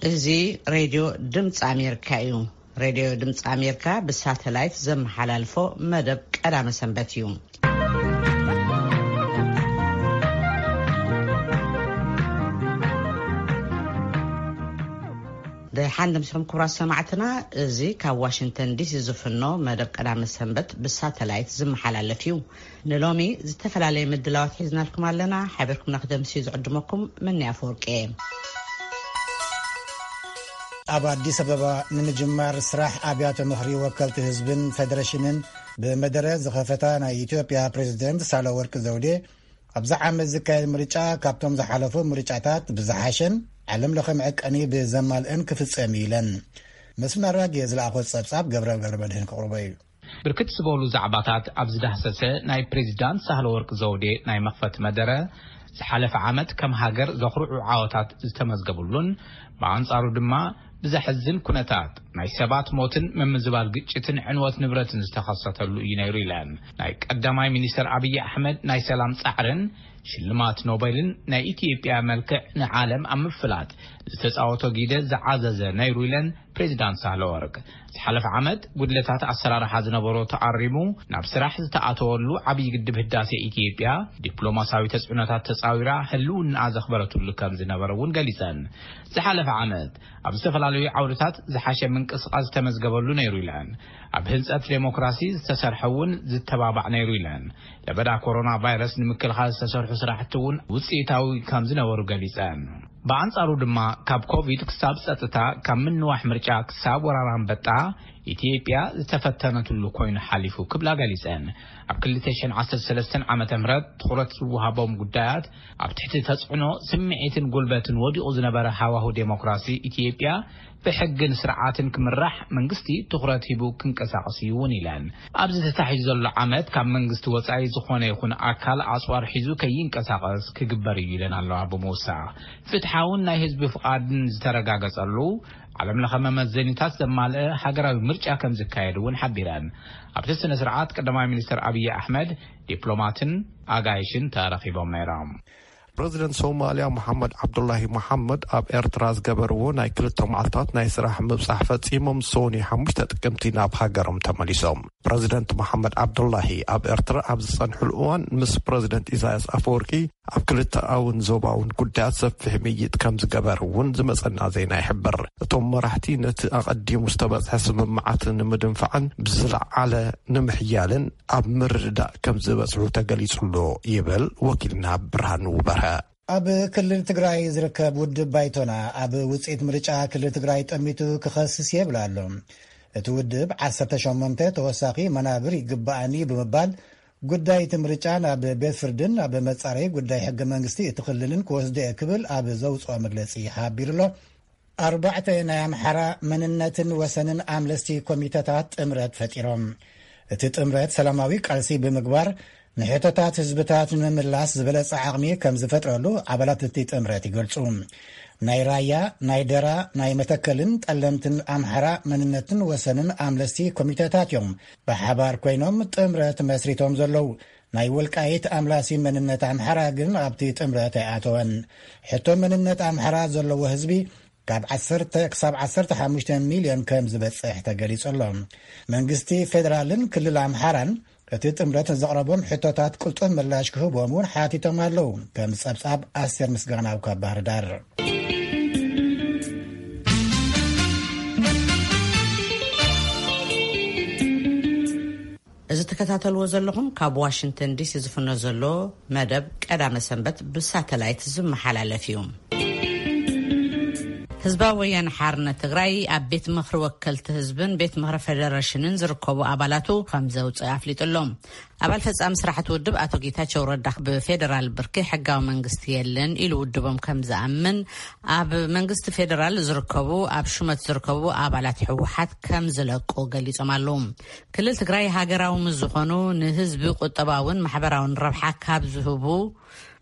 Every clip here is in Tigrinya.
እዚ ሬድዮ ድምፂ ኣሜሪካ እዩ። ሬድዮ ድምፂ ኣሜሪካ ብሳተላይት ዘመሓላልፎ መደብ ቀዳመ ሰንበት እዩ። ደሓን ደምስኹም ክቡራት ሰማዕትና፣ እዚ ካብ ዋሽንግተን ዲሲ ዝፍኖ መደብ ቀዳመ ሰንበት ብሳተላይት ዝመሓላለፍ እዩ። ንሎሚ ዝተፈላለየ ምድላዋት ሒዝናልኩም ኣለና። ሓቢርኩም ንክደምስዩ ዝዕድመኩም መኒ ኣፈወርቂ እየ። ኣብ ኣዲስ ኣበባ ንምጅማር ስራሕ ኣብያተ ምኽሪ ወከልቲ ህዝብን ፌደሬሽንን ብመደረ ዝኸፈታ ናይ ኢትዮጵያ ፕሬዝደንት ሳህለወርቅ ዘውዴ፣ ኣብዚ ዓመት ዝካየድ ምርጫ ካብቶም ዝሓለፉ ምርጫታት ብዝሓሸን ዓለም ለኸ መዐቀኒ ብዘማልእን ክፍጸም እዩ ኢለን። መስፍን ኣራጌ ዝለኣኾ ጸብጻብ ገብረ ገብረ መድህን ክቕርቦ እዩ። ብርክት ዝበሉ ዛዕባታት ኣብ ዝዳህሰሰ ናይ ፕሬዚዳንት ሳህለወርቅ ዘውዴ ናይ መኽፈቲ መደረ፣ ዝሓለፈ ዓመት ከም ሃገር ዘኹርዑ ዓወታት ዝተመዝገቡሉን ብኣንጻሩ ድማ ብዘሕዝን ኩነታት ናይ ሰባት ሞትን ምምዝባል ግጭትን ዕንወት ንብረትን ዝተኸሰተሉ እዩ ነይሩ ኢለን። ናይ ቀዳማይ ሚኒስትር ኣብይ ኣሕመድ ናይ ሰላም ጻዕርን ሽልማት ኖቤልን ናይ ኢትዮጵያ መልክዕ ንዓለም ኣብ ምፍላጥ ዝተጻወቶ ግደ ዝዓዘዘ ነይሩ ኢለን ፕሬዚዳንት ሳህለወርቅ። ዝሓለፈ ዓመት ጉድለታት ኣሰራርሓ ዝነበሮ ተኣሪሙ ናብ ስራሕ ዝተኣተወሉ ዓብዪ ግድብ ህዳሴ ኢትዮጵያ ዲፕሎማሲያዊ ተጽዕኖታት ተጻዊራ ህልውና ዘኽበረትሉ ከም ዝነበረ እውን ገሊጸን። ዝሓለፈ ዓመት ኣብ ዝተፈላለዩ ዓውድታት ዝሓሸ ምንቅስቃስ ዝተመዝገበሉ ነይሩ ኢለን። ኣብ ህንጸት ዴሞክራሲ ዝተሰርሐ እውን ዝተባባዕ ነይሩ ኢለን። ለበዳ ኮሮና ቫይረስ ንምክልኻል ዝተሰርሑ ስራሕቲ እውን ውፅኢታዊ ከም ዝነበሩ ገሊፀን። ብኣንጻሩ ድማ ካብ ኮቪድ ክሳብ ጸጥታ፣ ካብ ምንዋሕ ምርጫ ክሳብ ወራር ኣንበጣ ኢትዮጵያ ዝተፈተነትሉ ኮይኑ ሓሊፉ ክብላ ገሊጸን። ኣብ ክልተ ሽሕን ዓሰርተ ሰለስተን ዓመተ ምህረት ትኹረት ዝወሃቦም ጉዳያት ኣብ ትሕቲ ተጽዕኖ ስምዒትን ጉልበትን ወዲቑ ዝነበረ ሃዋሁ ዴሞክራሲ ኢትዮጵያ ብሕግን ስርዓትን ክምራሕ መንግስቲ ትኹረት ሂቡ ክንቀሳቐስ እዩ እውን ኢለን። ኣብዚ ተታሒዙ ዘሎ ዓመት ካብ መንግስቲ ወጻኢ ዝኾነ ይኹን ኣካል ኣጽዋር ሒዙ ከይንቀሳቐስ ክግበር እዩ ኢለን ኣለዋ። ብምውሳኽ ፍትሓውን ናይ ህዝቢ ፍቓድን ዝተረጋገጸሉ ዓለም ለኸ መመዘኒታት ዘማልአ ሃገራዊ ምርጫ ከም ዝካየድ እውን ሓቢረን። ኣብቲ ስነ ስርዓት ቀዳማይ ሚኒስትር ኣብይ ኣሕመድ፣ ዲፕሎማትን ኣጋይሽን ተረኺቦም ነይሮም። ፕረዚደንት ሶማልያ መሓመድ ዓብዱላሂ መሓመድ ኣብ ኤርትራ ዝገበርዎ ናይ ክልተ መዓልታት ናይ ስራሕ ምብጻሕ ፈጺሞም ሶኒ ሓሙሽተ ጥቅምቲ ናብ ሃገሮም ተመሊሶም። ፕረዚደንት መሓመድ ዓብዱላሂ ኣብ ኤርትራ ኣብ ዝጸንሕሉ እዋን ምስ ፕረዚደንት ኢሳያስ ኣፈወርቂ ኣብ ክልተኣውን ዞባውን ጉዳያት ሰፊሕ ምይይጥ ከም ዝገበር እውን ዝመጸና ዜና ይሕብር። እቶም መራሕቲ ነቲ ኣቐዲሙ ዝተበጽሐ ስምምዓት ንምድንፋዕን ብዝለዓለ ንምሕያልን ኣብ ምርድዳእ ከም ዝበጽሑ ተገሊጹ ኣሎ ይብል ወኪልና ብርሃኑ በርሀ። ኣብ ክልል ትግራይ ዝርከብ ውድብ ባይቶና ኣብ ውፅኢት ምርጫ ክልል ትግራይ ጠሚቱ ክኸስስ የብል ኣሎ። እቲ ውድብ ዓሰርተ ሸሞንተ ተወሳኺ መናብር ይግባኣኒ ብምባል ጉዳይ እቲ ምርጫ ናብ ቤት ፍርድን ኣብ መጻረይ ጉዳይ ሕገ መንግስቲ እቲ ክልልን ክወስዶ እየ ክብል ኣብ ዘውፅኦ መግለፂ ሓቢሩ ኣሎ። ኣርባዕተ ናይ ኣምሓራ መንነትን ወሰንን ኣምለስቲ ኮሚተታት ጥምረት ፈጢሮም። እቲ ጥምረት ሰላማዊ ቃልሲ ብምግባር ንሕቶታት ህዝብታት ንምምላስ ዝበለጸ ዓቕሚ ከም ዝፈጥረሉ ኣባላት እቲ ጥምረት ይገልጹ። ናይ ራያ፣ ናይ ደራ፣ ናይ መተከልን ጠለምትን ኣምሓራ መንነትን ወሰንን ኣምለስቲ ኮሚተታት እዮም ብሓባር ኮይኖም ጥምረት መስሪቶም ዘለዉ። ናይ ወልቃይት ኣምላሲ መንነት ኣምሓራ ግን ኣብቲ ጥምረት ኣይኣተወን። ሕቶ መንነት ኣምሓራ ዘለዎ ህዝቢ ካብ ዓሰርተ ክሳብ ዓሰርተ ሓሙሽተ ሚልዮን ከም ዝበጽሕ ተገሊጹ ኣሎ። መንግስቲ ፌደራልን ክልል ኣምሓራን እቲ ጥምረት ዘቕረቦም ሕቶታት ቅልጡፍ ምላሽ ክህቦም እውን ሓቲቶም ኣለዉ። ከም ጸብጻብ ኣስቴር ምስጋናው ካብ ባህር ዳር። እዚ ትከታተልዎ ዘለኹም ካብ ዋሽንግተን ዲሲ ዝፍኖ ዘሎ መደብ ቀዳመ ሰንበት ብሳተላይት ዝመሓላለፍ እዩ። ህዝባዊ ወያነ ሓርነት ትግራይ ኣብ ቤት ምኽሪ ወከልቲ ህዝብን ቤት ምኽሪ ፌደሬሽንን ዝርከቡ ኣባላቱ ከም ዘውፅእ ኣፍሊጡ ኣሎ። ኣባል ፈጻሚ ስራሕቲ ውድብ ኣቶ ጌታቸው ረዳ ብፌደራል ብርኪ ሕጋዊ መንግስቲ የለን ኢሉ ውድቦም ከም ዝኣምን ኣብ መንግስቲ ፌደራል ዝርከቡ፣ ኣብ ሹመት ዝርከቡ ኣባላት ህወሓት ከም ዝለቁ ገሊጾም ኣለዉ። ክልል ትግራይ ሃገራዊ ምስ ዝኾኑ ንህዝቢ ቁጠባውን ማሕበራውን ረብሓ ካብ ዝህቡ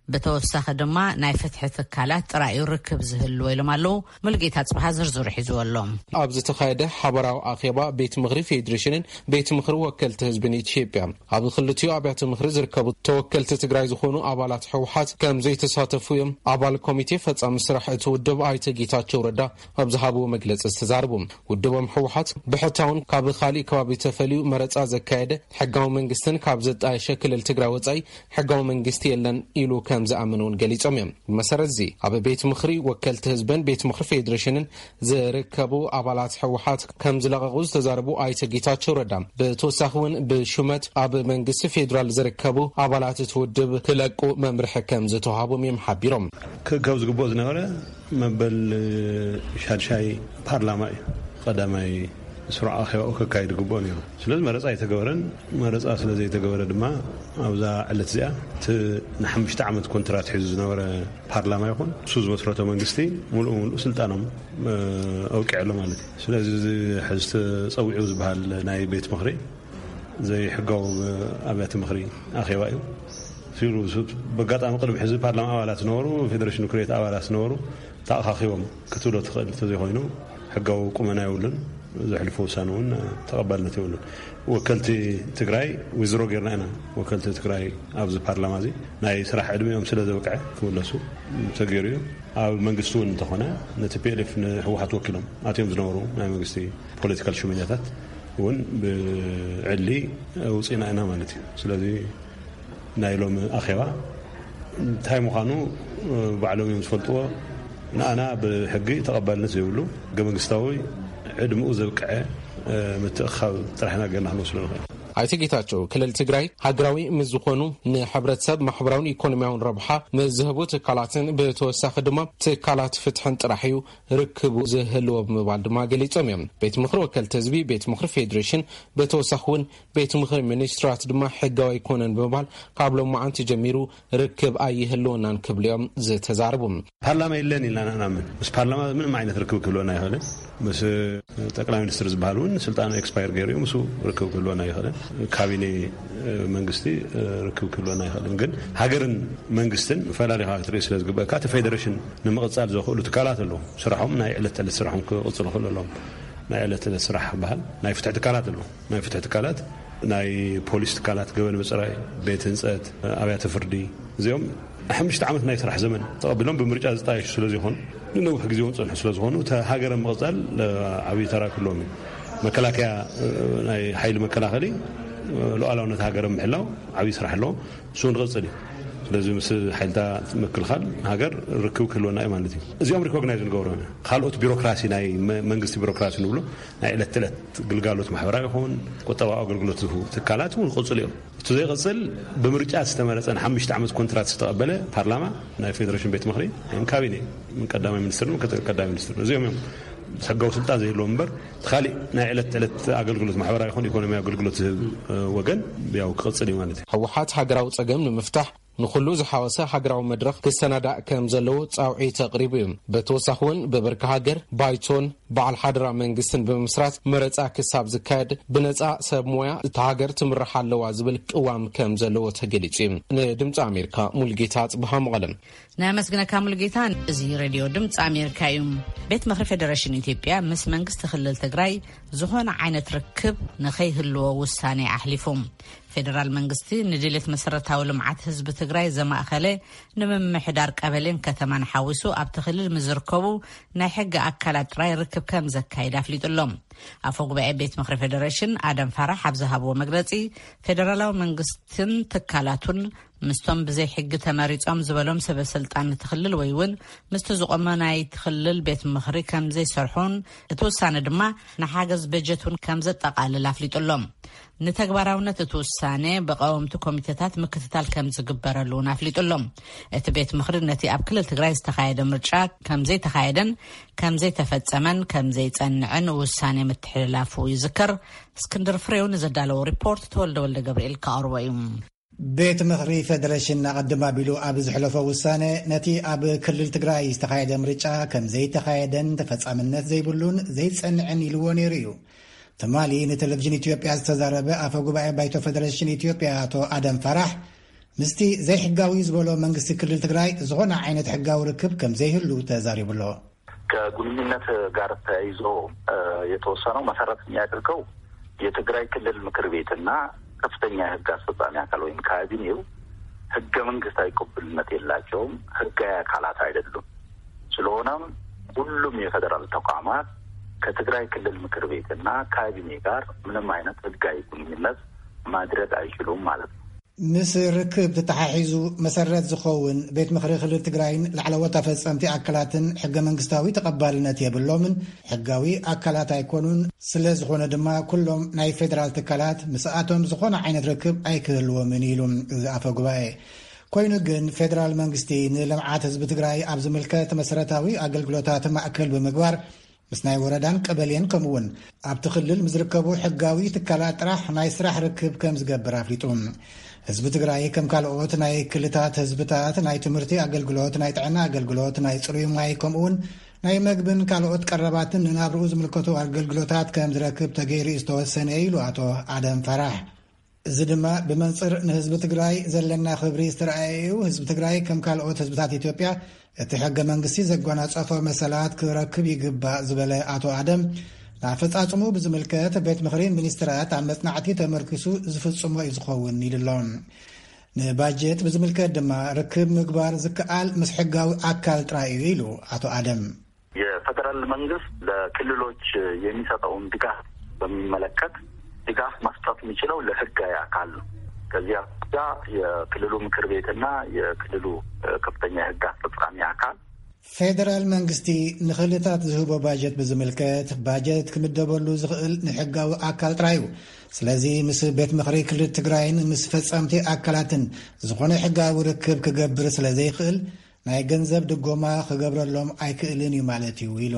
ብተወሳኺ ድማ ናይ ፍትሒ ትካላት ጥራይ እዩ ርክብ ዝህልዎ ኢሎም ኣለዉ። ሙሉጌታ ጽብሃ ዝርዝሩ ሒዝዎ ኣሎ። ኣብ ዝተኻየደ ሓበራዊ ኣኼባ ቤት ምኽሪ ፌዴሬሽንን ቤት ምኽሪ ወከልቲ ህዝብን ኢትዮጵያ፣ ኣብ ክልቲኡ ኣብያተ ምኽሪ ዝርከቡ ተወከልቲ ትግራይ ዝኾኑ ኣባላት ህወሓት ከም ዘይተሳተፉ እዮም ኣባል ኮሚቴ ፈጻሚ ስራሕ እቲ ውድብ ኣይተ ጌታቸው ረዳ ኣብ ዝሃብዎ መግለጺ ዝተዛረቡ። ውድቦም ህወሓት ብሕታውን ካብ ካሊእ ከባቢ ተፈልዩ መረጻ ዘካየደ ሕጋዊ መንግስትን ካብ ዘጣየሸ ክልል ትግራይ ወጻኢ ሕጋዊ መንግስቲ የለን ኢሉ ከም ዝኣምን እውን ገሊጾም እዮም። ብመሰረት እዚ ኣብ ቤት ምኽሪ ወከልቲ ህዝብን ቤት ምኽሪ ፌዴሬሽንን ዝርከቡ ኣባላት ህወሓት ከም ዝለቐቑ ዝተዛረቡ ኣይተ ጌታቸው ረዳ፣ ብተወሳኺ እውን ብሹመት ኣብ መንግስቲ ፌዴራል ዝርከቡ ኣባላት እቲ ውድብ ክለቁ መምርሒ ከም ዝተዋሃቦም እዮም ሓቢሮም። ክእከብ ዝግብኦ ዝነበረ መበል ሻድሻይ ፓርላማ እዩ። ቀዳማይ ስሩዕ ኣኼባኡ ከካይድ ግብኦ ነይሩ። ስለዚ መረፃ ኣይተገበረን። መረፃ ስለ ዘይተገበረ ድማ ኣብዛ ዕለት እዚኣ እቲ ንሓሙሽተ ዓመት ኮንትራት ሒዙ ዝነበረ ፓርላማ ይኹን እሱ ዝመስረቶ መንግስቲ ሙሉእ ሙሉእ ስልጣኖም፣ እ፣ ኣውቂዐ ኣሎ ማለት እዩ። ስለዚ እዚ ሕዚ ተፀዊዑ ዝበሃል ናይ ቤት ምኽሪ ዘይሕጋዊ ኣብያተ ምኽሪ ኣኼባ እዩ። ሲሉ ሱ-፣ በጋጣሚ ቅድሚ ሕዚ ፓርላማ ኣባላት ዝነበሩ፣ ፌዴሬሽን ምክር ቤት ኣባላት ዝነበሩ ተኣኻኺቦም ክትብሎ ትኽእል እንተዘይኮይኑ፣ ሕጋዊ ቁመና የብሉን። ዘሕልፎ ውሳነ እውን ተቐባልነት የብሉን። ወከልቲ ትግራይ ዊዝድሮ ጌርና ኢና። ወከልቲ ትግራይ ኣብዚ ፓርላማ እዚ ናይ ስራሕ ዕድሜኦም ስለ ዘብቅዐ ክምለሱ ተገይሩ እዩ። ኣብ መንግስቲ እውን እንተኾነ ነቲ ፒ ኤል ኤፍ ንህወሓት ወኪሎም ኣትዮም ዝነበሩ ናይ መንግስቲ ፖለቲካል ሽመኛታት እውን ብዕሊ ውፅኢና ኢና ማለት እዩ። ስለዚ ናይ ሎሚ ኣኼባ እንታይ ምዃኑ ባዕሎም እዮም ዝፈልጥዎ። ንኣና ብሕጊ ተቐባልነት ዘይብሉ፣ ሕገ መንግስታዊ ዕድመኡ ዘብቅዐ ምትእኻብ ጥራሕ ኢና ጌርና ክንወስዶ ንኽእል። ኣይተ ጌታቸው፣ ክልል ትግራይ ሃገራዊ ምስ ዝኾኑ ንሕብረተሰብ ማሕበራውን ኢኮኖሚያውን ረብሓ ምስ ዝህቡ ትካላትን ብተወሳኺ ድማ ትካላት ፍትሕን ጥራሕ እዩ ርክቡ ዝህልዎ ብምባል ድማ ገሊጾም እዮም። ቤት ምኽሪ ወከልቲ ህዝቢ፣ ቤት ምኽሪ ፌዴሬሽን፣ ብተወሳኺ እውን ቤት ምኽሪ ሚኒስትራት ድማ ሕጋዊ ኣይኮነን ብምባል ካብ ሎማዓንቲ ጀሚሩ ርክብ ኣይህልወናን ክብሉ እዮም ዝተዛረቡ። ፓርላማ የለን ኢልና ንኣምን። ምስ ፓርላማ ምንም ዓይነት ርክብ ክህልወና ኣይኽእልን። ምስ ጠቅላይ ሚኒስትር ዝበሃል እውን ስልጣኑ ኤክስፓየር ገይሩ እዩ። ምስ ርክብ ክህልወና ኣይኽእልን። ካቢኔ መንግስቲ ርክብ ክህልወና ኣይኽእልን። ግን ሃገርን መንግስትን ፈላሊኻ ክትርኢ ስለ ዝግበእካ፣ እቲ ፌዴሬሽን ንምቕጻል ዘኽእሉ ትካላት ኣለዉ። ስራሖም፣ ናይ ዕለት ተዕለት ስራሖም ክቕጽሉ ክኽእሉ ኣለዎም። ናይ ዕለት ተዕለት ስራሕ በሃል ናይ ፍትሒ ትካላት ኣለዉ። ናይ ፍትሒ ትካላት፣ ናይ ፖሊስ ትካላት፣ ገበን ምጽራይ፣ ቤት ህንጸት፣ ኣብያተ ፍርዲ፣ እዚኦም ሓሙሽተ ዓመት ናይ ስራሕ ዘመን ተቐቢሎም ብምርጫ ዝጣየሹ ስለ ዝኾኑ፣ ንነዊሕ ግዜ እውን ጸንሑ ስለ ዝኾኑ፣ እታ ሃገር ምቕጻል፣ እ፣ ዓብዪ ተራ ክህልዎም እዩ። መከላከያ፣ እ፣ ናይ ሓይሊ መከላኸሊ፣ እ፣ ሉዓላውነት ሃገር ምሕላው ዓብዪ ስራሕ ኣለዎ። እሱ ንቕጽል እዩ። ስለዚ ምስ ሓይልታት ምክልኻል ሃገር ርክብ ክህልወና እዩ ማለት እዩ። እዚኦም ሪኮግናይዝ ንገብሮም ኢና። ካልኦት ቢሮክራሲ፣ ናይ መ-፣ መንግስቲ ቢሮክራሲ ንብሎ፣ ናይ ዕለት ተዕለት ግልጋሎት ማሕበራዊ ይኹን ቁጠባዊ ኣገልግሎት ዝህቡ ትካላት እውን ክቕጽሉ እዮም። እቲ ዘይቕጽል ብምርጫ ዝተመረጸ ንሓሙሽተ ዓመት ኮንትራት ዝተቐበለ ፓርላማ፣ ናይ ፌዴሬሽን ቤት ምኽሪ፣ ን ካቢኔ፣ ምን ቀዳማይ ሚኒስትር፣ ምን ቀዳማይ ሚኒስትር፣ እዚኦም እዮም ሕጋዊ ስልጣን ዘይህልዎም እምበር፣ እቲ ካሊእ ናይ ዕለት ተዕለት ኣገልግሎት ማሕበራዊ ይኹን ኢኮኖሚያዊ ኣገልግሎት ዝህብ፣ እ፣ ወገን ያው ክቕጽል እዩ ማለት እዩ። ህወሓት ሃገራዊ ጸገም ንምፍታሕ ንኹሉ ዝሓወሰ ሃገራዊ መድረኽ ክሰናዳእ ከም ዘለዎ ጻውዒት ኣቕሪቡ እዩ። ብተወሳኺ እውን ብብርኪ ሃገር ባይቶን በዓል ሓደራ መንግስትን ብምስራት መረጻ ክሳብ ዝካየድ ብነጻ ሰብ ሞያ እታ ሃገር ትምራሕ ኣለዋ ዝብል ቅዋም ከም ዘለዎ ተገሊጹ እዩ። ንድምጺ ኣሜሪካ ሙልጌታ ጽብሃ መቐለም። ነመስግነካ ሙሉጌታ። እዚ ሬድዮ ድምፂ ኣሜሪካ እዩ። ቤት ምኽሪ ፌዴሬሽን ኢትዮጵያ ምስ መንግስቲ ክልል ትግራይ ዝኾነ ዓይነት ርክብ ንኸይህልዎ ውሳኔ ኣሕሊፉ። ፌዴራል መንግስቲ ንድሌት መሰረታዊ ልምዓት ህዝቢ ትግራይ ዘማእኸለ ንምምሕዳር ቀበሌን ከተማን ሓዊሱ ኣብቲ ክልል ምስ ዝርከቡ ናይ ሕጊ ኣካላት ጥራይ ርክብ ከም ዘካይድ ኣፍሊጡ ኣሎ። ኣፈ ጉባኤ ቤት ምኽሪ ፌዴሬሽን ኣደም ፋራሕ ኣብ ዝሃብዎ መግለፂ፣ ፌዴራላዊ መንግስትን ትካላቱን ምስቶም ብዘይ ሕጊ ተመሪጾም ዝበሎም ሰበ ስልጣን እቲ ክልል ወይ እውን ምስቲ ዝቆመ ናይ እቲ ክልል ቤት ምኽሪ ከም ዘይሰርሑን እቲ ውሳነ ድማ ንሓገዝ በጀት እውን ከም ዘጠቓልል ኣፍሊጡ ኣሎ። ንተግባራውነት እቲ ውሳነ ብቀወምቲ ኮሚቴታት ምክትታል ከም ዝግበረሉ እውን ኣፍሊጡ ኣሎ። እቲ ቤት ምኽሪ ነቲ ኣብ ክልል ትግራይ ዝተኻየደ ምርጫ ከም ዘይተኻየደን ከም ዘይተፈጸመን ከም ዘይጸንዕን ውሳኔ ምትሕልላፉ ይዝከር። እስክንድር ፍሬው ንዘዳለዎ ሪፖርት ተወልደ ወልደ ገብርኤል ከቕርቦ እዩ። ቤት ምኽሪ ፌደሬሽን ኣቐድም ኣቢሉ ኣብ ዝሕለፎ ውሳነ፣ ነቲ ኣብ ክልል ትግራይ ዝተኻየደ ምርጫ ከም ዘይተኻየደን ተፈጻምነት ዘይብሉን ዘይጸንዕን ኢልዎ ነይሩ እዩ። ትማሊ ንቴሌቪዥን ኢትዮጵያ ዝተዛረበ ኣፈ ጉባኤ ባይቶ ፌደሬሽን ኢትዮጵያ ኣቶ ኣደም ፋራሕ፣ ምስቲ ዘይሕጋዊ ዝበሎ መንግስቲ ክልል ትግራይ ዝኾነ ዓይነት ሕጋዊ ርክብ ከም ዘይህሉ ተዛሪቡ ኣሎ። ከግንኙነት ጋር ተያይዞ፣ እ፣ የተወሰነው መሰረት የሚያደርገው የትግራይ ክልል ምክር ቤትና ከፍተኛ የህግ አስፈጻሚ አካል ወይም ካቢኔው ህገ መንግስታዊ ቅቡልነት የላቸውም፣ ህጋዊ አካላት አይደሉም። ስለሆነም ሁሉም የፌዴራል ተቋማት ከትግራይ ክልል ምክር ቤትና ካቢኔ ጋር ምንም አይነት ህጋዊ ግንኙነት ማድረግ አይችሉም ማለት ነው። ምስ ርክብ ተተሓሒዙ መሰረት ዝኸውን ቤት ምኽሪ ክልል ትግራይን ላዕለዎት ኣፈጸምቲ ኣካላትን ሕገ መንግስታዊ ተቐባልነት የብሎምን፣ ሕጋዊ ኣካላት ኣይኮኑን። ስለ ዝኾነ ድማ ኩሎም ናይ ፌዴራል ትካላት ምስኣቶም ዝኾነ ዓይነት ርክብ ኣይክህልዎምን ኢሉ እዚ ኣፈ ጉባኤ። ኮይኑ ግን ፌዴራል መንግስቲ ንልምዓት ህዝቢ ትግራይ ኣብ ዝምልከት መሰረታዊ ኣገልግሎታት ማእከል ብምግባር ምስ ናይ ወረዳን ቀበሌን ከምኡ እውን ኣብቲ ክልል ምስ ዝርከቡ ሕጋዊ ትካላት ጥራሕ ናይ ስራሕ ርክብ ከም ዝገብር ኣፍሊጡ። ህዝቢ ትግራይ ከም ካልኦት ናይ ክልታት ህዝብታት ናይ ትምህርቲ ኣገልግሎት፣ ናይ ጥዕና ኣገልግሎት፣ ናይ ፅሩይ ማይ ከምኡ እውን ናይ መግብን ካልኦት ቀረባትን ንናብርኡ ዝምልከቱ ኣገልግሎታት ከም ዝረክብ ተገይሩ እዩ ዝተወሰነ ኢሉ ኣቶ ኣደም ፈራሕ። እዚ ድማ ብመንፅር ንህዝቢ ትግራይ ዘለና ክብሪ ዝተረኣየ እዩ። ህዝቢ ትግራይ ከም ካልኦት ህዝብታት ኢትዮጵያ እቲ ሕገ መንግስቲ ዘጓናፀፎ መሰላት ክረክብ ይግባእ ዝበለ ኣቶ ኣደም፣ ንኣፈፃፅሙ ብዝምልከት ቤት ምኽሪ ሚኒስትራት ኣብ መፅናዕቲ ተመርኪሱ ዝፍፅሞ እዩ ዝኸውን ኢሉ ኣሎ። ንባጀት ብዝምልከት ድማ ርክብ ምግባር ዝከኣል ምስ ሕጋዊ ኣካል ጥራይ እዩ ኢሉ ኣቶ ኣደም። የፌዴራል መንግስት ለክልሎች የሚሰጠውን ድጋፍ በሚመለከት ድጋፍ መስጠት የሚችለው ለህጋዊ አካል ነው። ከዚህ አኳያ የክልሉ ምክር ቤትና የክልሉ፣ እ፣ ከፍተኛ የህግ አስፈጻሚ አካል ፌደራል መንግስቲ ንክልታት ዝህቦ ባጀት ብዝምልከት ባጀት ክምደበሉ ዝኽእል ንሕጋዊ ኣካል ጥራይ እዩ። ስለዚ ምስ ቤት ምኽሪ ክልል ትግራይን ምስ ፈጸምቲ ኣካላትን ዝኾነ ሕጋዊ ርክብ ክገብር ስለ ዘይኽእል ናይ ገንዘብ ድጎማ ክገብረሎም ኣይክእልን እዩ ማለት እዩ ኢሉ።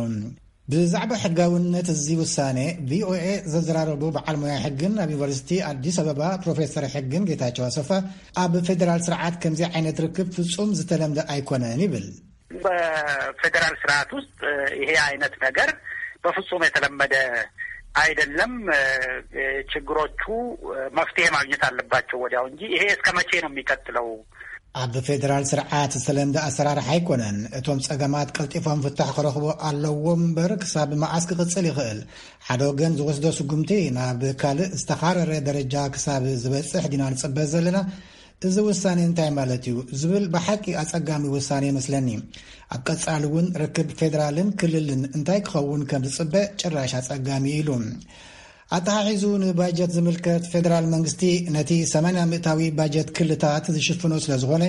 ብዛዕባ ሕጋውነት እዚ ውሳኔ ቪኦኤ ዘዘራረቡ በዓል ሞያ ሕግን ኣብ ዩኒቨርሲቲ ኣዲስ ኣበባ ፕሮፌሰር ሕግን ጌታቸው ኣሰፋ ኣብ ፌደራል ስርዓት ከምዚ ዓይነት ርክብ ፍጹም ዝተለምደ ኣይኮነን ይብል። በፌዴራል ስርዓት ውስጥ ይሄ አይነት ነገር በፍጹም የተለመደ አይደለም። ችግሮቹ መፍትሄ ማግኘት አለባቸው ወዲያው እንጂ ይሄ እስከ መቼ ነው የሚቀጥለው? ኣብ ፌደራል ስርዓት ዝተለምደ ኣሰራርሓ ኣይኮነን። እቶም ጸገማት ቀልጢፎም ፍታሕ ክረኽቡ ኣለዎም እምበር ክሳብ መዓስ ክቕጽል ይኽእል? ሓደ ወገን ዝወስዶ ስጉምቲ ናብ ካልእ ዝተኻረረ ደረጃ ክሳብ ዝበጽሕ ዲና ንጽበ ዘለና? እዚ ውሳኔ እንታይ ማለት እዩ ዝብል ብሓቂ ኣጸጋሚ ውሳኔ ይመስለኒ። ኣብ ቀጻሊ እውን ርክብ ፌደራልን ክልልን እንታይ ክኸውን ከም ዝጽበ ጭራሽ ኣጸጋሚ እዩ ኢሉ። ኣተሓሒዙ ንባጀት ዝምልከት ፌደራል መንግስቲ ነቲ ሰማንያ ሚእታዊ ባጀት ክልታት ዝሽፍኖ ስለ ዝኾነ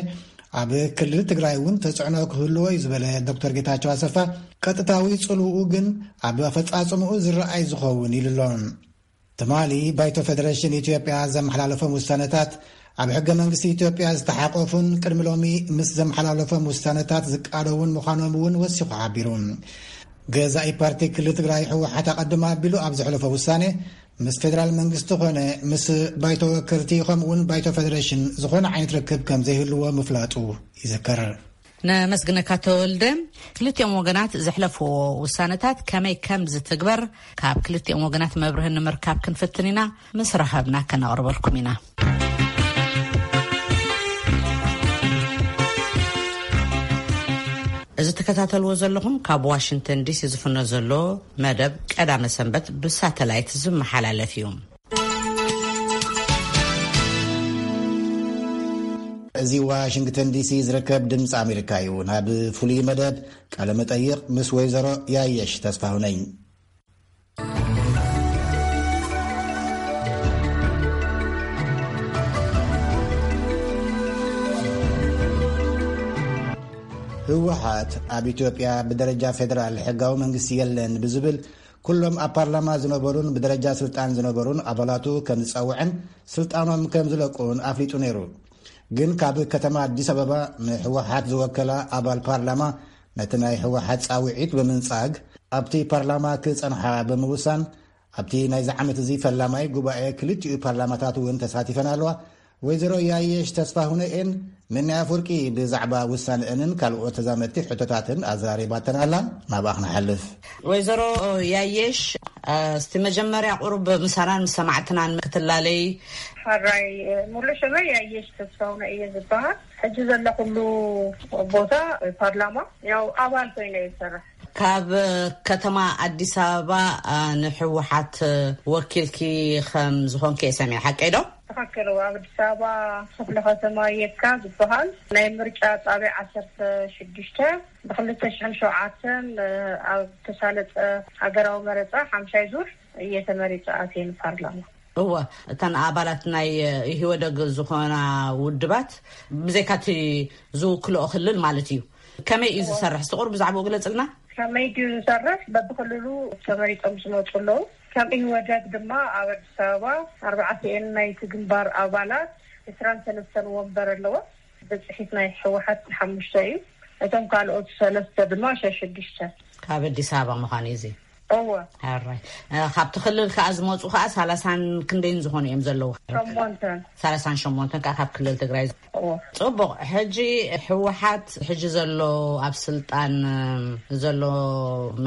ኣብ ክልል ትግራይ እውን ተጽዕኖ ክህልዎ እዩ ዝበለ ዶክተር ጌታቸው ኣሰፋ፣ ቀጥታዊ ጽልውኡ ግን ኣብ ኣፈጻጽምኡ ዝረኣይ ዝኸውን ኢሉ ኣሎ። ትማሊ ባይቶ ፌደሬሽን ኢትዮጵያ ዘመሓላለፎም ውሳነታት ኣብ ሕገ መንግስቲ ኢትዮጵያ ዝተሓቆፉን ቅድሚ ሎሚ ምስ ዘመሓላለፎም ውሳነታት ዝቃደውን ምዃኖም እውን ወሲኹ ሓቢሩ። ገዛኢ ፓርቲ ክልል ትግራይ ህወሓት ኣቐድም ኣቢሉ ኣብ ዘሕለፎ ውሳኔ ምስ ፌደራል መንግስቲ ኾነ ምስ ባይቶ ወከልቲ ከምኡ እውን ባይቶ ፌደሬሽን ዝኾነ ዓይነት ርክብ ከም ዘይህልዎ ምፍላጡ ይዝከር። ነመስግነካ ተወልደ። ክልቲኦም ወገናት ዘሕለፍዎ ውሳነታት ከመይ ከም ዝትግበር ካብ ክልቲኦም ወገናት መብርህ ንምርካብ ክንፍትን ኢና። ምስ ረኸብና ከነቕርበልኩም ኢና። እዚ ትከታተልዎ ዘለኹም ካብ ዋሽንግተን ዲሲ ዝፍኖ ዘሎ መደብ ቀዳመ ሰንበት ብሳተላይት ዝመሓላለፍ እዩ። እዚ ዋሽንግተን ዲሲ ዝርከብ ድምፂ ኣሜሪካ እዩ። ናብ ፍሉይ መደብ ቃለ መጠይቕ ምስ ወይዘሮ ያየሽ ተስፋሁነኝ። ህወሓት ኣብ ኢትዮጵያ ብደረጃ ፌደራል ሕጋዊ መንግስቲ የለን ብዝብል ኩሎም ኣብ ፓርላማ ዝነበሩን ብደረጃ ስልጣን ዝነበሩን ኣባላቱ ከም ዝጸውዐን ስልጣኖም ከም ዝለቁን ኣፍሊጡ ነይሩ። ግን ካብ ከተማ ኣዲስ ኣበባ ንህወሓት ዝወከላ ኣባል ፓርላማ ነቲ ናይ ህወሓት ጻውዒት ብምንጻግ ኣብቲ ፓርላማ ክጸንሓ ብምውሳን ኣብቲ ናይዚ ዓመት እዚ ፈላማይ ጉባኤ ክልቲኡ ፓርላማታት እውን ተሳቲፈን ኣለዋ። ወይዘሮ ያየሽ ተስፋሁነኤን ምንያ ኣፍወርቂ ብዛዕባ ውሳነአንን ካልኦት ተዛመድቲ ሕቶታትን ኣዘራሪባተን ኣላ። ናብኣ ክንሓልፍ። ወይዘሮ ያየሽ፣ እስቲ መጀመርያ ቁሩብ ምሳናን ምስ ሰማዕትናን ክትላለይ። ሓራይ፣ ሙሉእ ሽመይ ኣየሽ ተስፋውነ እየ ዝበሃል። ሕጂ ዘለኹሉ ቦታ ፓርላማ፣ ያው ኣባል ኮይነ እየ ዝሰርሕ። ካብ ከተማ ኣዲስ ኣበባ ንሕወሓት ወኪልኪ ከም ዝኾንኪ እየ ሰሚዐ፣ ሓቀይ ዶ? ትኽክል። ኣብ ኣዲስ ኣበባ ክፍለ ከተማ የካ ዝበሃል ናይ ምርጫ ጣቢያ ዓሰርተ ሽዱሽተ፣ ብክልተ ሽሕን ሸውዓተን ኣብ ተሳለጠ ሃገራዊ መረፃ ሓምሻይ ዙር እየ ተመሪፀ ኣትየ ንፓርላማ። እወ፣ እተን ኣባላት ናይ ኢህወደግ ዝኾና ውድባት ብዘይካቲ ዝውክልኦ ክልል ማለት እዩ። ከመይ እዩ ዝሰርሕ? እስቲ ቁሩብ ብዛዕባኡ ግለጽልና። ከመይ ድዩ ዝሰርሕ? በብክልሉ ተመሪጦም ዝመፁ ኣለዉ። ከም ኢህወደግ ድማ ኣብ ኣዲስ ኣበባ ኣርባዕቲኤን ናይቲ ግንባር ኣባላት ዕስራን ሰለስተን ወንበር ኣለዎ። ብፅሒት ናይ ህወሓት ሓሙሽተ እዩ። እቶም ካልኦት ሰለስተ ድማ ሸሽዱሽተ። ካብ ኣዲስ ኣበባ ምዃኑ እዩ እዚ። እወ። ሕራይ። ካብቲ ክልል ከኣ ዝመፁ ከኣ ሰላሳን ክንደይን ዝኾኑ እዮም ዘለዉ? ሸሞንተን። ሰላሳን ሸሞንተን ከኣ ካብ ክልል ትግራይ። እወ። ፅቡቕ። ሕጂ ህወሓት ሕጂ ዘሎ ኣብ ስልጣን ዘሎ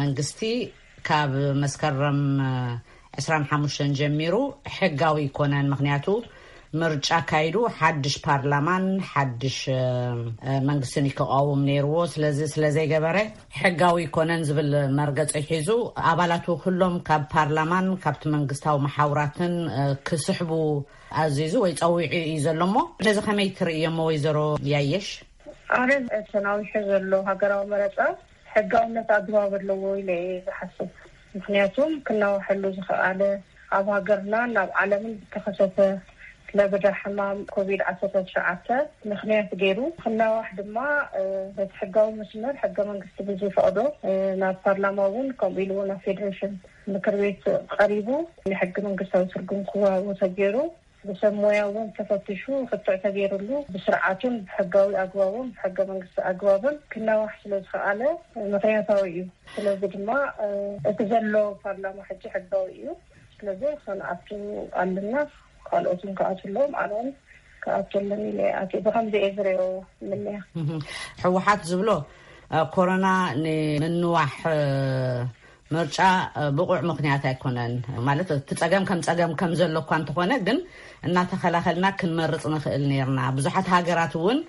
መንግስቲ ካብ መስከረም ዕስራን ሓሙሽተን ጀሚሩ ሕጋዊ ኣይኮነን። ምኽንያቱ ምርጫ ኣካይዱ ሓድሽ ፓርላማን ሓድሽ መንግስትን ክቃወም ነይርዎ። ስለዚ ስለዘይገበረ ሕጋዊ ኣይኮነን ዝብል መርገፂ ሒዙ ኣባላቱ ኩሎም ካብ ፓርላማን ካብቲ መንግስታዊ መሓውራትን ክስሕቡ ኣዚዙ ወይ ፀዊዑ እዩ ዘሎ። እሞ ነዚ ከመይ ትርእዮሞ ወይዘሮ ያየሽ? ኣረ፣ ተናዊሑ ዘሎ ሃገራዊ መረፃ ሕጋውነት ኣግባብ ኣለዎ ኢለ እየ ዝሓስብ። ምኽንያቱም ክናዋሐሉ ዝኸኣለ ኣብ ሃገርናን ኣብ ዓለምን ዝተኸሰተ ለበዳ ሕማም ኮቪድ ዓሰርተ ትሽዓተ ምኽንያት ገይሩ ክናዋሕ ድማ በቲ ሕጋዊ መስመር ሕገ መንግስቲ ብዝፈቕዶ ናብ ፓርላማ እውን ከምኡ ኢሉ እውን ናብ ፌዴሬሽን ምክር ቤት ቀሪቡ ናይ ሕገ መንግስታዊ ትርጉም ክወሃቦ ተገይሩ ብሰብ ሞያ እውን ተፈትሹ ክትዕ ተገይሩሉ ብስርዓቱን ብሕጋዊ ኣግባቡን ብሕገ መንግስቲ ኣግባብን ክናዋሕ ስለ ዝኸኣለ ምኽንያታዊ እዩ። ስለዚ ድማ እቲ ዘሎ ፓርላማ ሕጂ ሕጋዊ እዩ። ስለዚ ክንኣቱ ኣለና። ካልኦት እውን ክኣቱ ኣለዎም። ኣነ እውን ክኣቱ ኣለኒ ኢለ እየ ኣትየ። ብኸምዚ እየ ዝሪኦ። ምንያ ህወሓት ዝብሎ ኮሮና ንምንዋሕ ምርጫ ብቑዕ ምኽንያት ኣይኮነን። ማለት እቲ ፀገም ከም ፀገም ከም ዘሎ እኳ እንተኾነ ግን እናተኸላኸልና ክንመርፅ ንኽእል ነርና። ብዙሓት ሃገራት እውን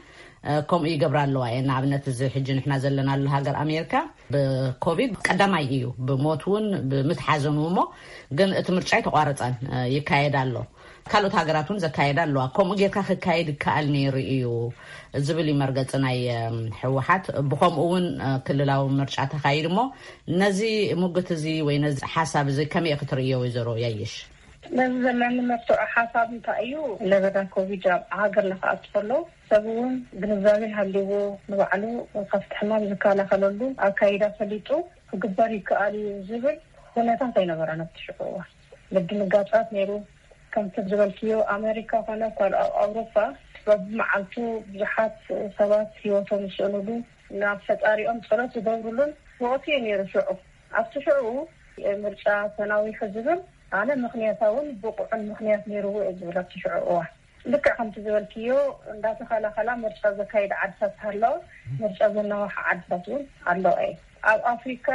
ከምኡ ይገብራ ኣለዋ እየ። ንኣብነት እዚ ሕጂ ንሕና ዘለናሉ ሃገር ኣሜሪካ ብኮቪድ ቀዳማይ እዩ ብሞት እውን ብምትሓዘኑ እሞ ግን እቲ ምርጫ ኣይተቋረፀን፣ ይካየድ ኣሎ። ካልኦት ሃገራት እውን ዘካየዳ ኣለዋ። ከምኡ ጌርካ ክካየድ ይከኣል ነይሩ እዩ ዝብል እዩ መርገፂ ናይ ህወሓት። ብኸምኡ እውን ክልላዊ ምርጫ ተኻይድ እሞ ነዚ ሙግት እዚ ወይ ነዚ ሓሳብ እዚ ከመይ ክትርእዮ ወይዘሮ ያየሽ? ነዚ ዘለኒ መርትዖ ሓሳብ እንታይ እዩ? ለበዳ ኮቪድ ኣብ ሃገር ንክኣቱ ከሎ ሰብ እውን ግንዛቤ ሃልይዎ ንባዕሉ ካብቲ ሕማም ዝከላኸለሉ ኣካይዳ ፈሊጡ ክግበር ይከኣል እዩ ዝብል ኩነታት ኣይነበረን ኣብቲ ሽዑ እዋን። ምድንጋጻት ነይሩ። ከምቲ ዝበልክዮ ኣሜሪካ ኮነ ካልኦ ኣብ ኣውሮፓ በብመዓልቱ ብዙሓት ሰባት ህይወቶም ዝስእኑሉ ናብ ፈጣሪኦም ጸሎት ዝገብሩሉን ወቕቲ እዩ ነይሩ ሽዑ። ኣብቲ ሽዑ ምርጫ ተናዊሑ ዝብል ኣነ ምኽንያታውን ብቑዕን ምኽንያት ነይርዎ እየ ዝብል ኣብቲ ሽዑ እዋን። ልክዕ ከምቲ ዝበልክዮ እንዳተኸላኸላ ምርጫ ዘካየዳ ዓድታት ሃለዋ ምርጫ ዘናዋሓ ዓድታት እውን ኣለዋ እየ። ኣብ ኣፍሪካ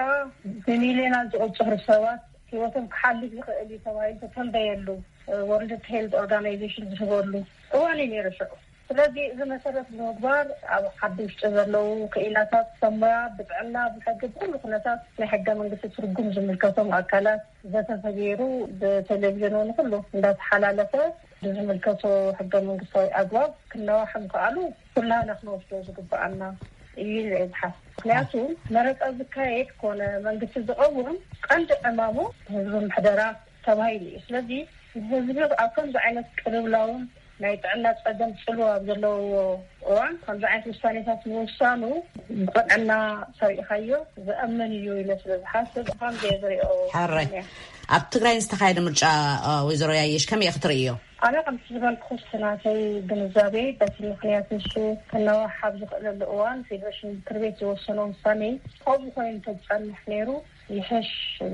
ብሚልዮናት ዝቑፅሩ ሰባት ህይወቶም ክሓልፍ ይኽእል እዩ ተባሂሉ ተተንበየሉ ወርልድ ሄልት ኦርጋናይዜሽን ዝህበሉ እዋን እዩ ነይሩ ሽዑ። ስለዚ እዚ መሰረት ብምግባር ኣብ ዓዲ ውሽጢ ዘለዉ ክኢላታት ሰብ ሞያ ብጥዕና ብሕጊ ብኩሉ ኩነታት ናይ ሕገ መንግስቲ ትርጉም ዝምልከቶም ኣካላት ዘተ ተገይሩ ብቴሌቪዥን እውን ኩሉ እንዳተሓላለፈ ብዝምልከቶ ሕገ መንግስታዊ ኣግባብ ክነዋሕ ምክኣሉ ኩላህና ክንወስዶ ዝግበኣና እዩ ኢለ እየ ዝሓስብ። ምክንያቱ መረፃ ዝካየድ ኮነ መንግስቲ ዝቐውም ቀንዲ ዕማሙ ህዝቢ ምሕደራ ተባሂሉ እዩ። ስለዚ ህዝቢ ኣብ ከምዚ ዓይነት ቅልውላውን ናይ ጥዕና ፀገም ፅልዋ ኣብ ዘለዎ እዋን ከምዚ ዓይነት ውሳኔታት ምውሳኑ ብቅንዕና ሰሪእኻዮ ዘእምን እዩ ኢለ ስለ ዝሓስብ ብከምዚ እየ ዝሪኦ። ሕራይ። ኣብ ትግራይ ዝተኻየደ ምርጫ ወይዘሮ ያየሽ ከመይ ክትርእዮ? ኣነ ከምቲ ዝበልኩ ስናተይ ግንዛቤ በቲ ምክንያት ንሱ ክነዋሕ ኣብ ዝኽእለሉ እዋን ፌዴሬሽን ምክር ቤት ዝወሰኖ ውሳኔ ከምኡ ኮይኑ ተዝፀንሕ ነይሩ ይሕሽ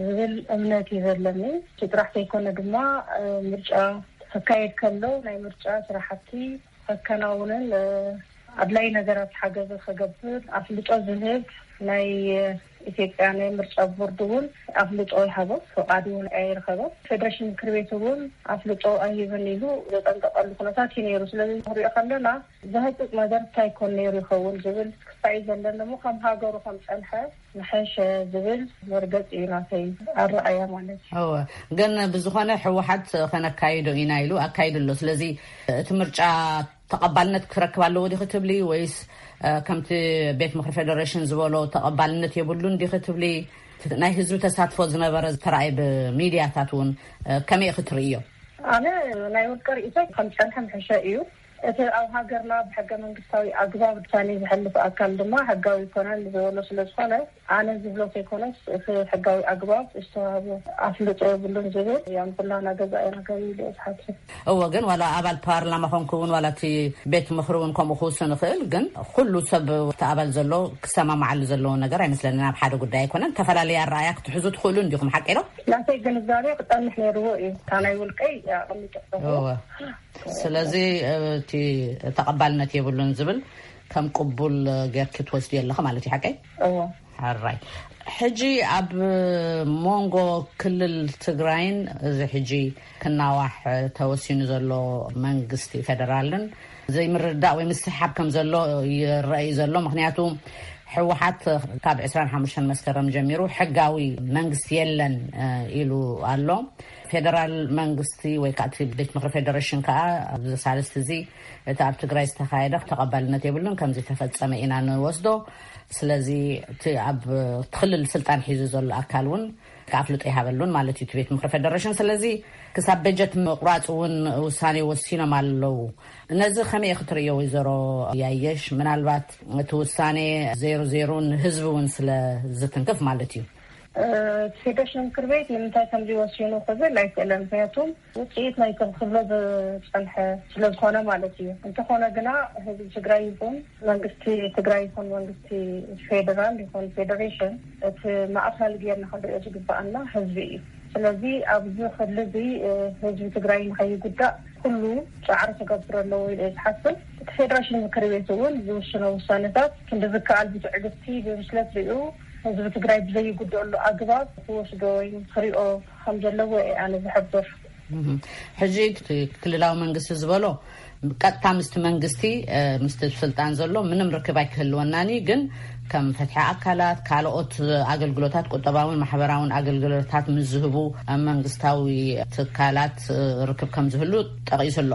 ዝብል እምነት እዩ ዘለኒ። እቲ ጥራሕ ዘይኮነ ድማ ምርጫ ክካየድ ከሎ ናይ ምርጫ ስራሕቲ ከከናውንን ኣድላይ ነገራት ሓገዝ ከገብር ኣፍልጦ ዝህብ ናይ ኢትዮጵያ ናይ ምርጫ ቦርድ እውን ኣፍልጦ ይሃቦ፣ ፍቓድ እውን ኣይረኸበ። ፌደሬሽን ምክር ቤት እውን ኣፍልጦ ኣይህብን ኢሉ ዘጠንቀቐሉ ኩነታት እዩ ነይሩ። ስለዚ ንሪኦ ከለና ዘህጥጥ ነገር እንታይ ኮን ነይሩ ይኸውን ዝብል ክሳይ ዘለን እሞ ከም ሃገሩ ከም ጸንሐ ንሐሸ ዝብል መርገጽ እዩ ናተይ ኣረኣያ ማለት እዩ። እወ፣ ግን ብዝኾነ ህወሓት ከነካይዶ ኢና ኢሉ ኣካይዱ ኣሎ። ስለዚ እቲ ምርጫ ተቐባልነት ክረክብ ኣለዎ ዲኺ ትብሊ ወይስ ከምቲ ቤት ምክሪ ፌደሬሽን ዝበሎ ተቐባልነት የብሉን ዲኺ ትብሊ? ናይ ህዝቢ ተሳትፎ ዝነበረ ዝተራእየ ብሚድያታት እውን ከመይ ክትርእዮ? ኣነ ናይ ውልቀ ርእይቶ ከም ጸንሐ ምሕሸ እዩ። እቲ ኣብ ሃገርና ብሕገ መንግስታዊ ኣግባብ ውሳኔ ዝሕልፍ ኣካል ድማ ሕጋዊ ይኮነን ዝበሎ ስለ ዝኾነ ኣነ ዝብሎ ከይኮነስ እቲ ሕጋዊ ኣግባብ ዝተዋህቦ ኣፍልጦ የብሉን ዝብል ያም ኩላና ገዛኢ ነገር እዩ ኢለ ዝሓስብ። እወ፣ ግን ዋላ ኣባል ፓርላማ ኮንኩ እውን ዋላ እቲ ቤት ምክሪ እውን ከምኡ ክውስን ይኽእል። ግን ኩሉ ሰብ እቲ ኣባል ዘሎ ክሰማማዓሉ ዘለዎ ነገር ኣይመስለንን። ኣብ ሓደ ጉዳይ ኣይኮነን። ተፈላለየ ኣረኣያ ክትሕዙ ትኽእሉ እንዲኹም፣ ሓቂ ዶ? ናተይ ግንዛቤ ክጠንሕ ነይርዎ እዩ። እታ ናይ ውልቀይ ኣቐሚጠ ኣለኹ። እወ። ስለዚ እቲ ተቐባልነት የብሉን ዝብል ከም ቅቡል ጌርኪ ትወስድዮ ኣለኺ ማለት እዩ፣ ሓቀይ? እዎ። ሕራይ። ሕጂ ኣብ መንጎ ክልል ትግራይን እዚ ሕጂ ክናዋሕ ተወሲኑ ዘሎ መንግስቲ ፌደራልን ዘይምርዳእ ወይ ምስሕሓብ ከም ዘሎ ይረኣይ ዘሎ። ምኽንያቱ ህወሓት ካብ ዕስራን ሓሙሽተን መስከረም ጀሚሩ ሕጋዊ መንግስቲ የለን ኢሉ ኣሎ። ፌደራል መንግስቲ ወይ ከዓ እቲ ቤት ምክሪ ፌደሬሽን ከዓ ኣብዚ ሳልስቲ እዚ እቲ ኣብ ትግራይ ዝተኻየደ ተቐባልነት የብሉን፣ ከም ዝተፈጸመ ኢና ንወስዶ። ስለዚ እቲ ኣብ ክልል ስልጣን ሒዙ ዘሎ ኣካል እውን ኣፍልጦ ይሃበሉን ማለት እዩ እቲ ቤት ምክሪ ፌደሬሽን። ስለዚ ክሳብ በጀት ምቁራፅ እውን ውሳኔ ወሲኖም ኣለዉ። ነዚ ከመይ ክትርእዮ ወይዘሮ ያየሽ? ምናልባት እቲ ውሳኔ ዜሮ ዜሮ ንህዝቢ እውን ስለ ዝትንክፍ ማለት እዩ። ፌደሬሽን ምክር ቤት ንምንታይ ከምዚ ወሲኑ ክብል ኣይክእለን። ምክንያቱም ውፅኢት ናይ ክብሎ ዝፀንሐ ስለዝኾነ ማለት እዩ። እንተኾነ ግና ህዝቢ ትግራይ ይኹን መንግስቲ ትግራይ ይኹን መንግስቲ ፌደራል ይኹን ፌደሬሽን እቲ ማእኸል ጌርና ክንሪኦ ዝግባኣና ህዝቢ እዩ። ስለዚ ኣብዚ ክሊ እዚ ህዝቢ ትግራይ ንኸይጉዳእ ኩሉ ፃዕሪ ክገብር ኣለዎ ኢለ ዝሓስብ። እቲ ፌደሬሽን ምክር ቤት እውን ዝውስኖ ውሳነታት ክንዲ ዝከኣል ብትዕግስቲ ብብስለት ሪኡ ህዝቢ ትግራይ ብዘይጉደኣሉ ኣግባብ ክወስዶ ወይ ክሪኦ ከም ዘለዎ እየ ኣነ ዝሕብር። ሕጂ እቲ ክልላዊ መንግስቲ ዝበሎ ቀጥታ ምስቲ መንግስቲ ምስቲ ስልጣን ዘሎ ምንም ርክብ ኣይክህልወናን እዩ። ግን ከም ፍትሒ ኣካላት ካልኦት ኣገልግሎታት ቁጠባውን ማሕበራውን ኣገልግሎታት ምስ ዝህቡ መንግስታዊ ትካላት ርክብ ከም ዝህሉ ጠቒሱ ኣሎ።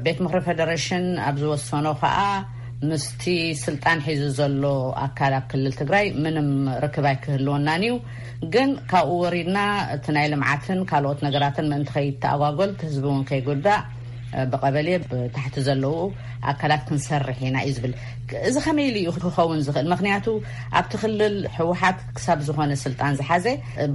ቤት ምክሪ ፌደሬሽን ኣብ ዝወሰኖ ከዓ ምስቲ ስልጣን ሒዙ ዘሎ ኣካል ኣብ ክልል ትግራይ ምንም ርክብ ኣይክህልወናን እዩ። ግን ካብኡ ወሪድና እቲ ናይ ልምዓትን ካልኦት ነገራትን ምእንቲ ከይተኣጓጎል እቲ ህዝቢ እውን ከይጉዳእ ብቀበሌ ብታሕቲ ዘለዉ ኣካላት ክንሰርሕ ኢና እዩ ዝብል። እዚ ከመይ ኢሉ እዩ ክኸውን ዝኽእል? ምክንያቱ ኣብቲ ክልል ህወሓት ክሳብ ዝኾነ ስልጣን ዝሓዘ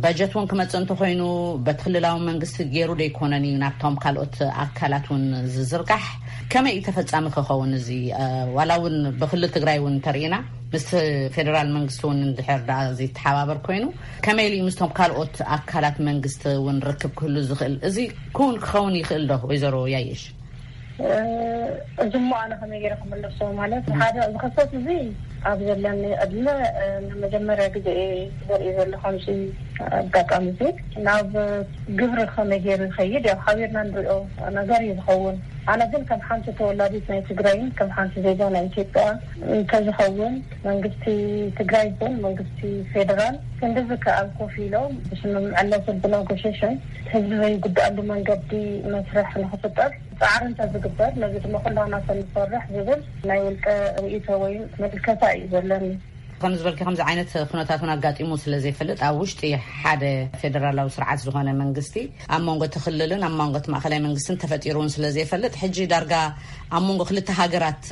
በጀት እውን ክመፅእ እንተኮይኑ በቲ ክልላዊ መንግስቲ ገይሩ ደይኮነን እዩ ናብቶም ካልኦት ኣካላት እውን ዝዝርጋሕ። ከመይ እዩ ተፈፃሚ ክኸውን እዚ? ዋላ እውን ብክልል ትግራይ እውን እንተርኢና ምስ ፌደራል መንግስቲ እውን እንድሕር ዳ ዘይተሓባበር ኮይኑ ከመይ ኢሉ ምስቶም ካልኦት ኣካላት መንግስቲ እውን ርክብ ክህሉ ዝኽእል? እዚ ክውን ክኸውን ይኽእል ዶ ወይዘሮ ያየሽ? እዚ እሞ ኣነ ከመይ ገይረ ክመለሶ ማለት ሓደ እዚ ክስተት እዚ ኣብ ዘለኒ ዕድመ ንመጀመርያ ግዜ እየ ዘርኢ ዘለኹ። ከምዚ ኣጋጣሚ እዚ ናብ ግብሪ ከመይ ገይሩ ይኸይድ ያው ሓቢርና ንሪኦ ነገር እዩ ዝኸውን። ኣነ ግን ከም ሓንቲ ተወላዲት ናይ ትግራይን ከም ሓንቲ ዜጋ ናይ ኢትዮጵያ እንተዝኸውን መንግስቲ ትግራይ ይኹን መንግስቲ ፌደራል ክንዲ ዝከኣል ኮፍ ኢሎም ብስምምዕነትን ብነጎሽሽን ህዝቢ ዘይጉዳኣሉ መንገዲ መስርሕ ንክፍጠር ፃዕሪ እንተዝግበር ነዚ ድማ ኩላና ተንሰርሕ ዝብል ናይ ውልቀ ርእይቶ ወይ ምልከታ እዩ ዘለኒ። ከም ዝበልኪ ከምዚ ዓይነት ኩነታት እውን ኣጋጢሙ ስለ ዘይፈልጥ ኣብ ውሽጢ ሓደ ፌደራላዊ ስርዓት ዝኾነ መንግስቲ ኣብ መንጎ እቲ ክልልን ኣብ መንጎ እቲ ማእኸላይ መንግስትን ተፈጢሩ እውን ስለ ዘይፈልጥ ሕጂ ዳርጋ ኣብ መንጎ ክልተ ሃገራት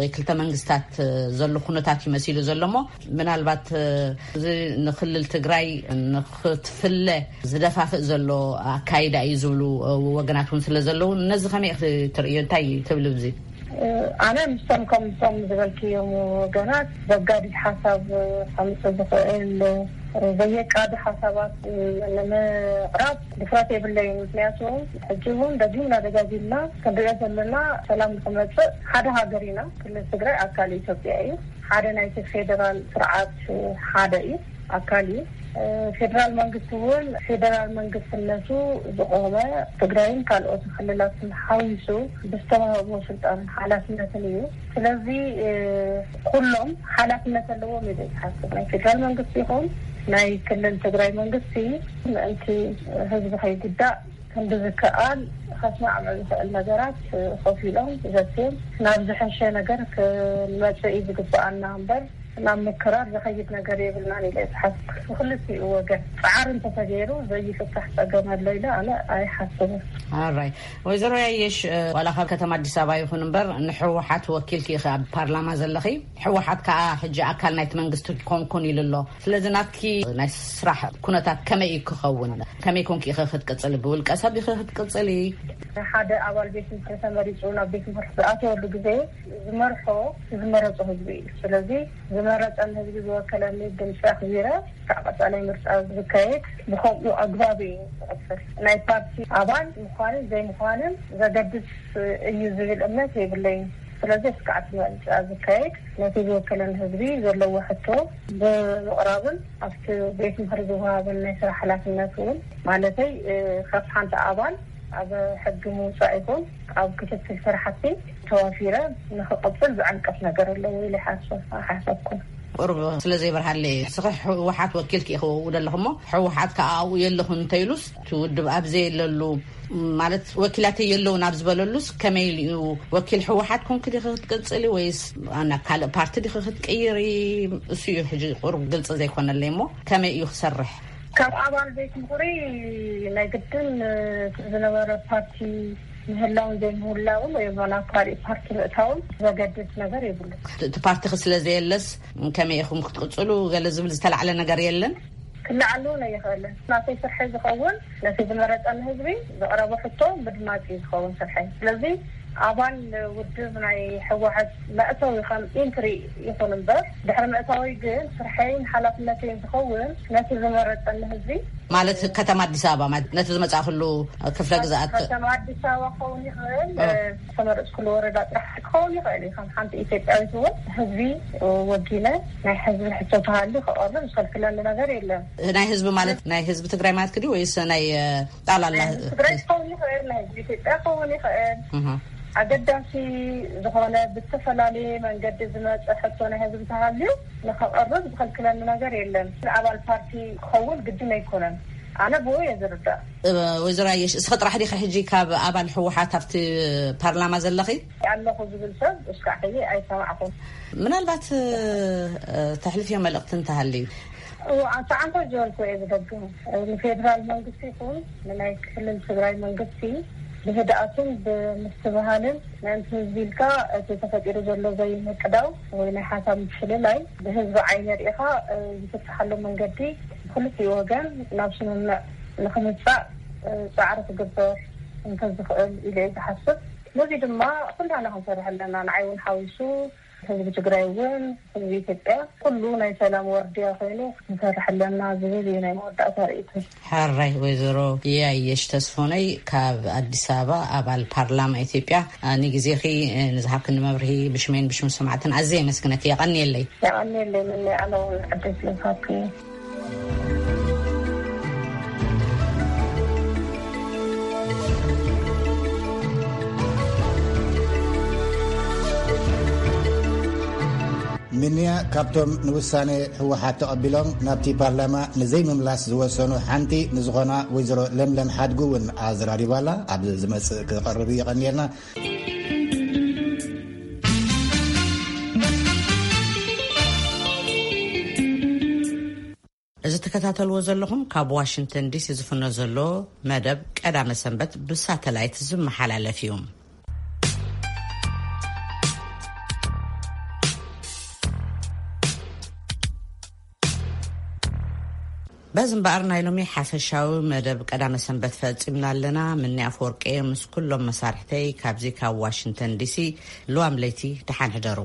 ወይ ክልተ መንግስታት ዘሎ ኩነታት እዩ መሲሉ ዘሎ እሞ ምናልባት እዚ ንክልል ትግራይ ንክትፍለ ዝደፋፍእ ዘሎ ኣካይዳ እዩ ዝብሉ ወገናት እውን ስለ ዘለዉ ነዚ ከመይ ክትርእዮ እንታይ ትብሉ ብዚ? ኣነ ምስቶም ከምቶም ዝበልክዮም ወገናት ዘጋድድ ሓሳብ ከምፅእ ዝኽእል ዘየቃዲ ሓሳባት ንምቕራብ ድፍረት የብለይን። ምክንያቱ ሕጂ እውን ደጊምና ደጋጊምና ክንሪኦ ዘለና ሰላም ንክመፅእ ሓደ ሃገር ኢና። ክልል ትግራይ ኣካል ኢትዮጵያ እዩ። ሓደ ናይቲ ፌደራል ስርዓት ሓደ እዩ። ኣካል እዩ። እ፣ ፌደራል መንግስቲ እውን ፌደራል መንግስትነቱ ዝቆመ ትግራይን ካልኦት ክልላትን ሓዊሱ ብዝተዋህቦ ስልጣንን ሓላፍነትን እዩ። ስለዚ፣ እ፣ ኩሎም ሓላፍነት ኣለዎም ኢለ ዝሓስብ። ናይ ፌደራል መንግስቲ ይኹን ናይ ክልል ትግራይ መንግስቲ ምእንቲ ህዝቢ ከይጉዳእ ክንዲ ዝከኣል ከስማዕምዕ ዝኽእል ነገራት ኮፍ ኢሎም ዘትዮም ናብ ዝሐሸ ነገር ክንመጽእ እዩ ዝግበኣና እምበር ናብ ምክራር ዝኸይድ ነገር የብልናን ኢለ ዝሓስብ። ብክልቲኡ ወገን ጻዕሪ እንተተገይሩ ዘይፍታሕ ጸገም ኣሎ ኢለ ኣነ ኣይሓስብን። ኣራይ፣ ወይዘሮ ያየሽ፣ እ፣ ዋላ ካብ ከተማ ኣዲስ ኣበባ ይኹን እምበር ንሕወሓት ወኪልኪ ኢኺ ኣብ ፓርላማ ዘለኺ። ሕወሓት ከዓ ሕጂ ኣካል ናይቲ መንግስቲ ኮንኩን ኢሉ ኣሎ። ስለዚ ናትኪ ናይ ስራሕ ኩነታት ከመይ እዩ ክኸውን? ከመይ ኮንኪ ኢኺ ክትቅጽሊ? ብውልቀ ሰብ ኢኺ ክትቅጽሊ? ሓደ ኣባል ቤት ምኽሪ ተመሪጹ ናብ ቤት ምኽሪ ዝኣተወሉ ግዜ ዝመርሖ ዝመረጾ ህዝቢ እዩ። ስለዚ ዝመረጸን ህዝቢ ዝወከለኒ ድምፂ ኣኽቢረ ካብ ቀፃላይ ምርጫ ዝካየድ ብከምኡ ኣግባብ እዩ ዝቕፅል። ናይ ፓርቲ ኣባል ምዃንን ዘይምዃንን ዘገድስ እዩ ዝብል እምነት የብለይን። ስለዚ እስካዕ እቲ ምርጫ ዝካየድ ነቲ ዝወከለኒ ህዝቢ ዘለዎ ሕቶ ብምቕራብን ኣብቲ ቤት ምኽሪ ዝወሃበን ናይ ስራሕ ሓላፍነት እውን ማለተይ፣ እ፣ ካብ ሓንቲ ኣባል ኣብ ሕጊ ምውፃእ ይኹን ኣብ ክትትል ስራሕቲ ተዋፊረ ንክቕፅል ዝዕንቀፍ ነገር ኣለዎ ኢለ ይሓስብ ኣይሓሰብኩን። ቁሩብ ስለ ዘይበርሃለይ፣ ንስኺ ህወሓት ወኪልኪ ኢኺ ወው ዘለኹ እሞ፣ ህወሓት ከዓ ኣብኡ የለኹን እንተኢሉስ፣ እቲ ውድብ ኣብ ዘየለሉ፣ ማለት ወኪላተይ የለውን ኣብ ዝበለሉስ፣ ከመይ ኢሉ እዩ ወኪል ህወሓት ኮንኪ ዲኺ ክትቅፅሊ ወይስ ናብ ካልእ ፓርቲ ዲኺ ክትቅይሪ? እሱ እዩ ሕጂ ቁሩብ ግልፂ ዘይኮነለይ እሞ፣ ከመይ እዩ ክሰርሕ? ካብ ኣባል ቤት ምኽሪ ናይ ግድን እቲ ዝነበረ ፓርቲ ምህላውን ዘይምህላውን ወይ እውን ናብ ካልእ ፓርቲ ምእታውን ዘገድስ ነገር የብሉን። እቲ ፓርቲኺ ስለ ዘየለስ ከመይ ኢኹም ክትቅፅሉ ገለ ዝብል ዝተላዕለ ነገር የለን? ክለዓል እውን ኣይኽእልን። ናተይ ስርሐይ ዝኸውን ነቲ ዝመረፀኒ ህዝቢ ዘቕረቦ ሕቶ ምድማፅ እዩ ዝኸውን ስርሐይ። ስለዚ ኣባል ውድብ ናይ ህወሓት መእተዊ ከም ኢንትሪ ይኹን እምበር፣ ድሕሪ ምእታወይ ግን ስርሐይን ሓላፍነተይን ዝኸውን ነቲ ዝመረፀኒ ህዝቢ ማለት ከተማ ኣዲስ ኣበባ ማለት ነቲ ዝመጻእክሉ ክፍለ ግዝኣት? ከተማ ኣዲስ ኣበባ ክኸውን ይኽእል፣ እ። ዝተመረፅኩሉ ወረዳ ጥራሕ ክኸውን ይኽእል እዩ። ከም ሓንቲ ኢትዮጵያዊት እውን ህዝቢ ወጊነ ናይ ህዝቢ ሕቶ ተሃልዩ ክቐርብ ዝኸልክለኒ ነገር የለን። ናይ ህዝቢ ማለት ናይ ህዝቢ ትግራይ ማለት ክዲ ወይስ ናይ፣ እ፣ ጣላላ ናይ ህዝቢ ትግራይ ክኸውን ይኽእል፣ ናይ ህዝቢ ኢትዮጵያ ክኸውን ይኽእል። እህ። ኣገዳሲ ዝኾነ ብዝተፈላለየ መንገዲ ዝመፀ ሕቶ ናይ ህዝቢ ተሃልዩ ንኸቐርብ ዝኸልክለኒ ነገር የለን። ንኣባል ፓርቲ ክኸውን ግድን ኣይኮነን። ኣነ ብኡ እየ ዝርዳእ። እ፣ ወይዘሮ ኣየሽ፣ እስኺ ጥራሕ ዲኺ ሕጂ ካብ ኣባል ህወሓት ኣብቲ ፓርላማ ዘለኺ? ኣለኹ ዝብል ሰብ እስካዕ ሕጂ ኣይሰማዕኹን። ምናልባት፣ እ፣ እ፣ ተሕልፍዮ መልእኽቲ እንተሃልዩ? እዎ፣ ኣንተ ዓንተ ዝበልኩ እየ ዝደግም። ንፌደራል መንግስቲ ይኹን ንናይ ክልል ትግራይ መንግስቲ ብህድኣትን ብምስትብሃልን ምእንቲ ህዝቢ ኢልካ እቲ ተፈጢሩ ዘሎ ዘይምቅዳው ወይ ናይ ሓሳብ ምፍልላይ ብህዝቢ ዓይኒ ርኢኻ፣ እ፣ ዝፍትሓሉ መንገዲ ብክልቲኡ ወገን ናብ ስምምዕ ንክምጻእ፣ እ፣ ጻዕሪ ክግበር እንተዝኽእል ኢለ እየ ዝሓስብ። ነዚ ድማ ኩላና ክንሰርሕ ኣለና፣ ንዓይ እውን ሓዊሱ። ህዝቢ ትግራይ እውን ህዝቢ ኢትዮጵያ ኩሉ ናይ ሰላም ወርድያ ኮይኑ ክንሰርሕ ኣለና ዝብል እዩ ናይ መወዳእታ ርእይቶ። ሕራይ ወይዘሮ ያየሽ ተስፎነይ ካብ ኣዲስ ኣበባ ኣባል ፓርላማ ኢትዮጵያ፣ አ፣ ንግዜኺ፣ እ፣ ንዝሃብክኒ መብርሂ ብሽመይን ብሽም ሰማዕትን ኣዝየ የመስግነኪ። የቐንየለይ። የቐንየለይ። ምን ኣነ እውን ዕድል ስለዝሃብክኒ። ምንያ ካብቶም ንውሳኔ ህወሓት ተቐቢሎም ናብቲ ፓርላማ ንዘይምምላስ ዝወሰኑ ሓንቲ ንዝኾና ወይዘሮ ለምለም ሓድጉ እውን ኣዘራሪባላ። ኣብ ዝመጽእ ክቐርብ እዩ። የቐንየልና። እዚ ትከታተልዎ ዘለኹም ካብ ዋሽንግተን ዲሲ ዝፍኖ ዘሎ መደብ ቀዳመ ሰንበት ብሳተላይት ዝመሓላለፍ እዩ። በዚ እምበኣር ናይ ሎሚ ሓፈሻዊ መደብ ቀዳመ ሰንበት ፈጺምና ኣለና። ምኒ ኣፈወርቂ ምስ ኩሎም መሳርሕተይ ካብዚ ካብ ዋሽንግተን ዲሲ ልዋም ለይቲ ደሓን ሕደሩ።